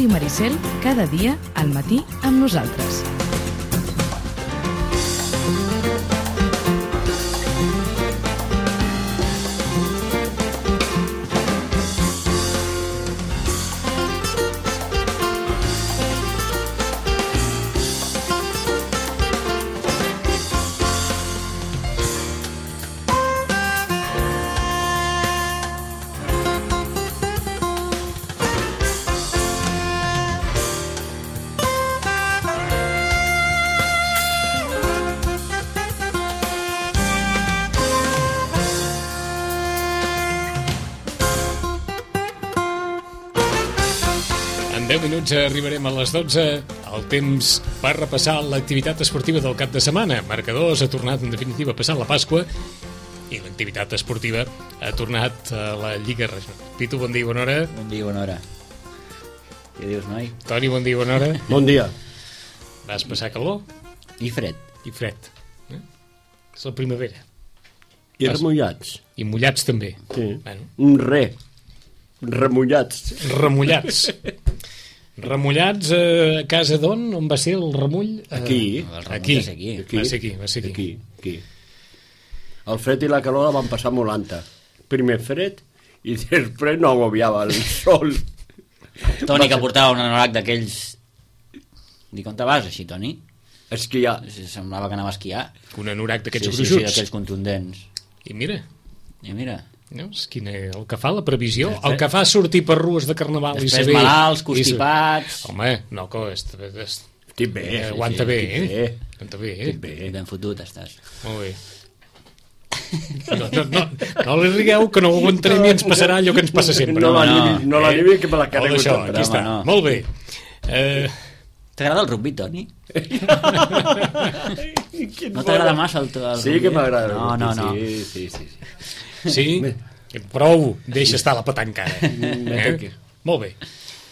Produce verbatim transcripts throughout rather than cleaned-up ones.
Ràdio Maricel, cada dia al matí amb nosaltres. deu minuts arribarem a les dotze, el temps per repassar l'activitat esportiva del cap de setmana. Marcadors ha tornat en definitiva a passar la Pasqua i l'activitat esportiva ha tornat a la Lliga Regional. Pitu, bon dia i bona hora. Bon dia i bona hora. Què dius, noi? Toni, bon dia i bona hora. Bon dia. Vas passar calor? I fred. I fred. Eh? És la primavera. I Vas... remullats. I mullats també. Sí. Bueno. Un re. Remullats. Remullats. Remullats a casa d'on? On va ser el remull? Aquí. Aquí. Aquí. Va ser aquí, va ser aquí. Aquí, aquí. El fred i la calor la van passar molt alta. Primer fred i després no agobiava el sol. Toni, que portava un anorac d'aquells... Dic, on te vas, així, Toni? Esquiar. Semblava que anava a esquiar. Un anorac d'aquests sí, gruixuts. Sí, sí, d'aquells contundents. I mira... I mira... No? És quina, el que fa la previsió, el que fa sortir per rues de carnaval després i saber... malalts, constipats... I... Home, no, que és, és... Estic bé. Eh, aguanta sí, bé, sí, eh? Aguanta bé, eh? bé. Ben fotut estàs. Molt bé. No, no, no, no li rigueu, que no ho aguantarem i ens passarà allò que ens passa sempre. No, no, l'animi, no l'animi, que me la carrego això, sempre. aquí està, no. molt bé. Eh... T'agrada el rugby, Toni? No t'agrada massa el, el sí rugby? que m'agrada. No, no, no. Sí, sí, sí. Sí? Prou, deixa estar la petanca ara. Eh? Molt bé.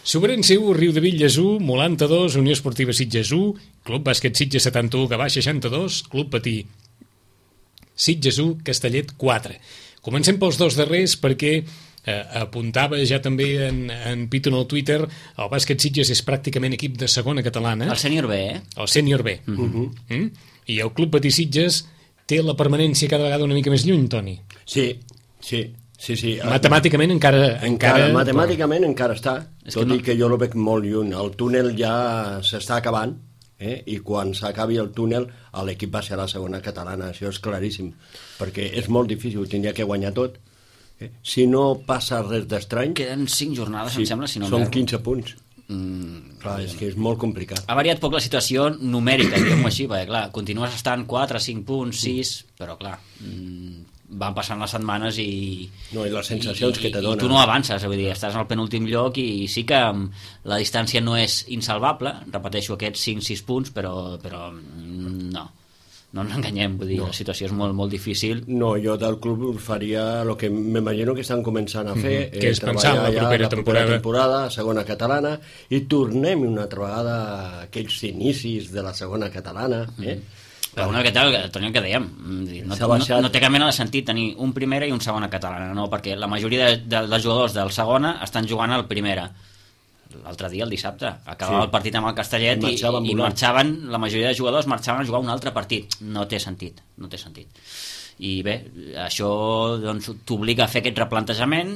Sobrense u, Riu de Villes u, Molanta dos, Unió Esportiva Sitges u, Club Bàsquet Sitges setanta u, Gavà seixanta-dos, Club Patí Sitges u, Castellet quatre. Comencem pels dos darrers perquè eh, apuntava ja també en, en Pitu en el Twitter, el Bàsquet Sitges és pràcticament equip de segona catalana. El sènior B, eh? El sènior B. Uh-huh. Mm? I el Club Patí Sitges té la permanència cada vegada una mica més lluny, Toni. Sí, sí. Sí, sí. Matemàticament encara... encara, encara matemàticament però... encara està, És tot no... i que jo lo veig molt lluny. El túnel ja s'està acabant, eh? I quan s'acabi el túnel l'equip va ser a la segona catalana, això és claríssim, perquè és molt difícil, tindria que guanyar tot. Eh? Si no passa res d'estrany... Queden cinc jornades, sí, em sembla, si no són m'erro. quinze punts. Mm, clar, és que és molt complicat. ha variat poc la situació numèrica, diguem-ho així, perquè clar, continues estant quatre, cinc punts, sis, però clar, mm, van passant les setmanes i... No, i les sensacions i, que te i, donen. I tu no avances, vull dir, estàs al penúltim lloc i, i sí que la distància no és insalvable, repeteixo aquests cinc sis punts, però, però no, no ens enganyem, vull dir, no. La situació és molt, molt difícil. No, jo del club faria el que m'imagino que estan començant a fer, mm-hmm. que és eh, pensar en la propera, la temporada. propera temporada, segona catalana, i tornem una altra vegada a aquells inicis de la segona catalana, eh? Mm-hmm. Però una miqueta, Toni, el que dèiem, no, no, no té cap mena de sentit tenir un primera i un segona catalana, no, perquè la majoria de, de, dels jugadors del segona estan jugant al primera. L'altre dia, el dissabte, acabava sí. el partit amb el Castellet i, i, i marxaven, la majoria de jugadors marxaven a jugar un altre partit. No té sentit, no té sentit. I bé, això doncs, t'obliga a fer aquest replantejament.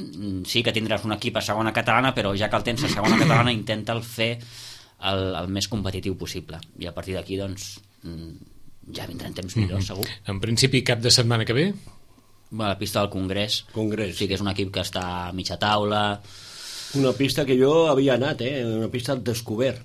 Sí que tindràs un equip a segona catalana, però ja que el tens a segona catalana, intenta el fer el, el més competitiu possible. I a partir d'aquí, doncs... ja vindran temps millors, segur. En principi, cap de setmana que ve? Bueno, la pista del Congrés. Congrés. Sí que és un equip que està a mitja taula. Una pista que jo havia anat, eh? Una pista al descobert.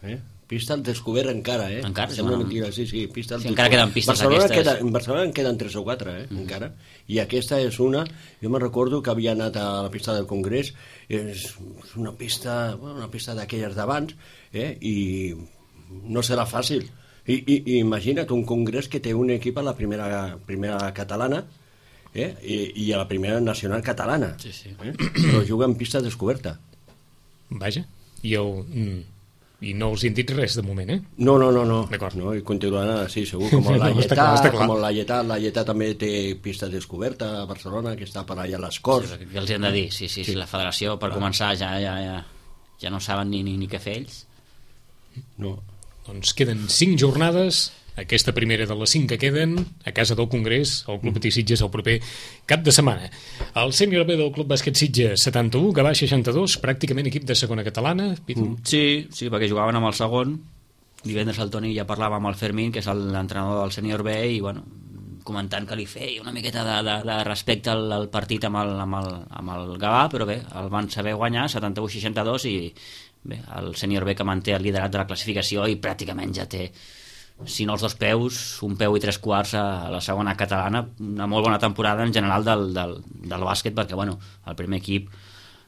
Eh? Pista al descobert encara, eh? Encara? Sembla bueno, mentira, sí, sí. Pista al sí, encara queden pistes Barcelona aquestes. Queda, en Barcelona en queden tres o quatre, eh? Mm. Encara. I aquesta és una... Jo me recordo que havia anat a la pista del Congrés. És una pista... Bueno, una pista d'aquelles d'abans, eh? I no serà fàcil. I, i, i imagina't un congrés que té un equip a la primera, primera catalana eh? I, i a la primera nacional catalana, sí, sí. Eh? Però juga en pista descoberta. Vaja, i, el, i no els he dit res de moment, eh? No, no, no, no. no i continuaran així, segur, com la Lletà, com la Lletà, la Lletà també té pista descoberta a Barcelona, que està per allà a les Corts. Sí, què els hem de dir? Sí, sí, sí, la federació per clar. Començar ja, ja, ja... ja no saben ni, ni, ni què fer ells. No. Doncs queden cinc jornades, aquesta primera de les cinc que queden, a casa del Congrés, el Club Patí Sitges el proper cap de setmana. El sènior B del Club Bàsquet Sitges setanta-u, Gavà seixanta-dos, pràcticament equip de segona catalana. Mm. Sí, sí, perquè jugaven amb el segon. Divendres el Toni ja parlava amb el Fermín, que és l'entrenador del sènior B, i bueno, comentant que li feia una miqueta de, de, de respecte al, al partit amb el, amb, el, amb el Gavà, però bé, el van saber guanyar setanta-u seixanta-dos, i bé, el sènior B que manté el liderat de la classificació i pràcticament ja té, si no els dos peus, un peu i tres quarts a la segona catalana. Una molt bona temporada en general del, del, del bàsquet, perquè bueno, el primer equip,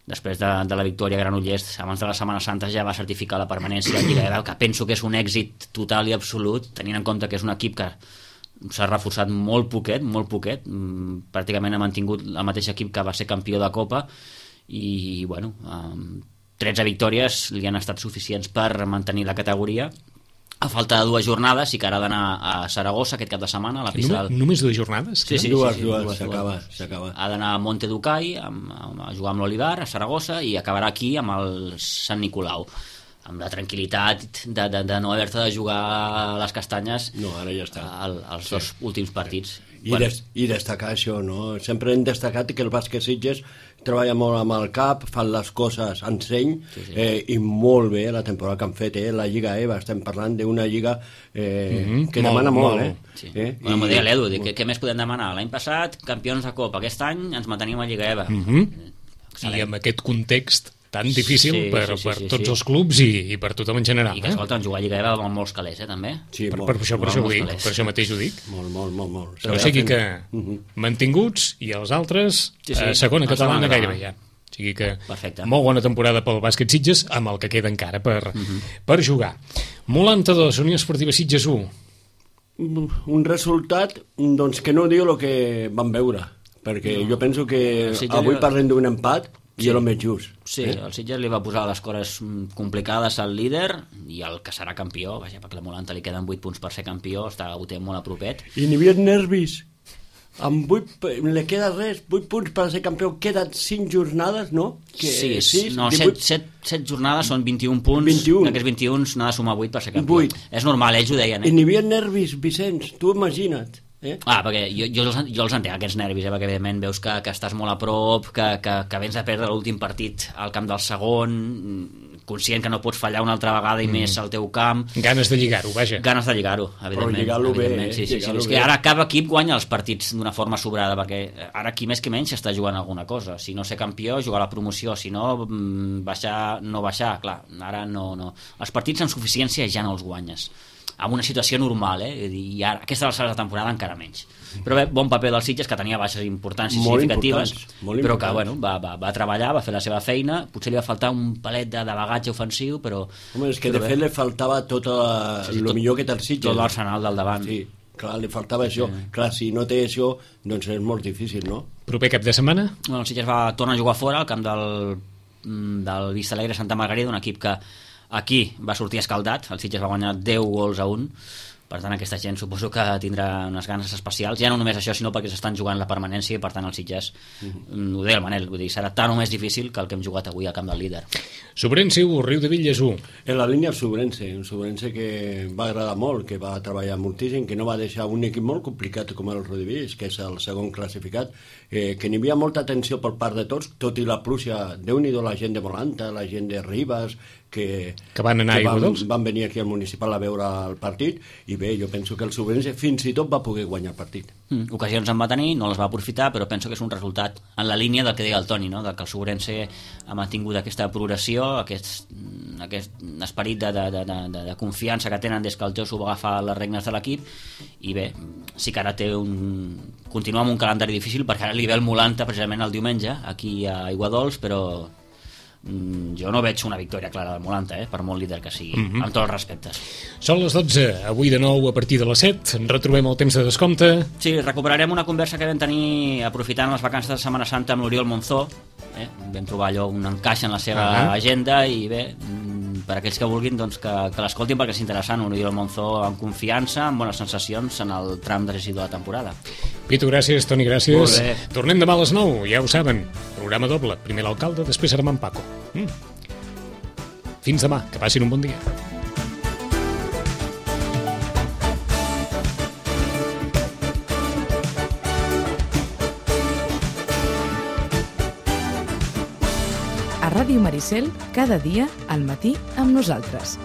després de, de la victòria a Granollers, abans de la Setmana Santa, ja va certificar la permanència a Lliga E B, que penso que és un èxit total i absolut, tenint en compte que és un equip que s'ha reforçat molt poquet, molt poquet, pràcticament ha mantingut el mateix equip que va ser campió de Copa, i bueno, tretze victòries li han estat suficients per mantenir la categoria. A falta de dues jornades, i que ara ha d'anar a Saragossa aquest cap de setmana, a la pista del... Només dues jornades? Sí, sí, dues, sí, sí, dues, s'acaba, s'acaba. Ha d'anar a Monte Ducai a, a jugar amb l'Olivar, a Saragossa, i acabarà aquí amb el Sant Nicolau, amb la tranquil·litat de, de, de no haver-te de jugar a les castanyes. No, ara ja està. Al, als sí. dos últims partits. I, bueno. des, I destacar això, no? Sempre hem destacat que el bàsquet Sitges treballa molt amb el cap, fan les coses en seny, sí, sí. Eh, i molt bé la temporada que han fet, eh? La Lliga E B, estem parlant d'una lliga eh, mm-hmm. que molt, demana molt, molt. eh? Sí. eh? Bueno, m'ho deia l'Edu, què, què més podem demanar? L'any passat, campions de Copa, aquest any ens mantenim a Lliga E B. Mm-hmm. I amb aquest context tan difícil sí, per, sí, sí, per sí, tots sí. els clubs i, i per tothom en general. I que, eh? escolta, jugar a Lliga E B amb molts calés, eh, també. Sí, per, molt, per, això, per, això dic, per això mateix ho dic. Molt, molt, molt. molt. Però o sigui que uh-huh. mantinguts, i els altres sí, sí. a segona catalana gairebé ja. O sigui que perfecte. Molt bona temporada pel bàsquet Sitges, amb el que queda encara per, uh-huh. per jugar. Molanta dos, Unió Esportiva Sitges u. Un resultat doncs, que no diu el que vam veure, perquè no. jo penso que avui parlem d'un empat, i sí. el més just. Sí, eh? El Sitges li va posar les coses complicades al líder, i el que serà campió, vaja, perquè la Molanta li queden vuit punts per ser campió, està, ho té molt a propet. I n'hi havia nervis. Amb vuit, li queda res, vuit punts per ser campió, queden cinc jornades, no? Que, sí, sis, no, set, set jornades són vint-i-un punts, vint-i-un. D'aquests vint-i-un n'ha de sumar vuit per ser campió. vuit. És normal, ells ho deien. Eh? I n'hi havia nervis, Vicenç, tu imagina't. Eh? Ah, perquè jo, jo, els, jo els entenc, aquests nervis, eh? Perquè evidentment veus que, que estàs molt a prop, que, que, que vens a perdre l'últim partit al camp del segon, conscient que no pots fallar una altra vegada i mm. més al teu camp. Ganes de lligar-ho, vaja. Ganes de lligar-ho, evidentment. Però lligar-lo bé, eh? Sí, sí, sí. És que ara cada equip guanya els partits d'una forma sobrada, perquè ara qui més que menys està jugant alguna cosa. Si no ser campió, jugar a la promoció, si no, baixar, no baixar, clar, ara no, no. Els partits amb suficiència ja no els guanyes. En una situació normal, eh? I ara, aquesta alçada de temporada encara menys. Però bé, bon paper dels Sitges, que tenia baixes importants i molt significatives, importants, però que bueno, va, va, va treballar, va fer la seva feina, potser li va faltar un palet de, de bagatge ofensiu, però... Home, és que de bé. fet li faltava tot el sí, sí, millor que té el Sitges. Tot l'arsenal del davant. Sí, clar, li faltava això. Sí. Clar, si no té això, doncs és molt difícil, no? Proper cap de setmana? Bueno, el Sitges va tornar a jugar fora, al camp del, del Vista Alegre Santa Margarida, un equip que aquí va sortir escaldat, el Sitges va guanyar deu gols a un, per tant aquesta gent suposo que tindrà unes ganes especials, ja no només això sinó perquè s'estan jugant la permanència i per tant el Sitges, mm-hmm. ho deia el Manel, vull dir, serà tan o més difícil que el que hem jugat avui al camp del líder. Sobrense u, Riu de Villas u. En la línia Sobrense, un Sobrense que va agradar molt, que va treballar moltíssim, que no va deixar un equip molt complicat com el Rodivilles, que és el segon classificat, eh, que n'hi havia molta atenció per part de tots, tot i la pluja, Déu-n'hi-do la gent de Molanta, la gent de Ribes, que, que van anar que a van, van venir aquí al municipal a veure el partit, i bé, jo penso que el Sobrense fins i tot va poder guanyar el partit. Mm, ocasions en va tenir, no les va aprofitar, però penso que és un resultat en la línia del que deia el Toni, no? De que el Sobrense ha mantingut aquesta progressió, aquest, aquest esperit de, de, de, de, de confiança que tenen des que el Josu va agafar les regnes de l'equip, i bé, sí que ara té un... continua amb un calendari difícil, perquè ara li ve el Molanta precisament el diumenge, aquí a Aiguadols, però jo no veig una victòria clara del Molanta, eh? Per molt líder que sigui, mm-hmm. amb tots els respectes. Són les dotze, avui de nou a partir de les set, en retrobem el temps de descompte. Sí, recuperarem una conversa que vam tenir aprofitant les vacances de Setmana Santa amb l'Oriol Monzó, eh? Vam trobar allò un encaix en la seva uh-huh. agenda, i bé, per aquells que vulguin doncs, que, que l'escoltin perquè és interessant, un Oriol Monzó amb confiança, amb bones sensacions en el tram decisiu de la temporada. Pitu, gràcies, Toni, gràcies. Tornem demà a les nou, ja ho saben, programa doble, primer l'alcalde, després serà en Paco. Mm. Fins demà, que passin un bon dia. A Ràdio Maricel, cada dia al matí amb nosaltres.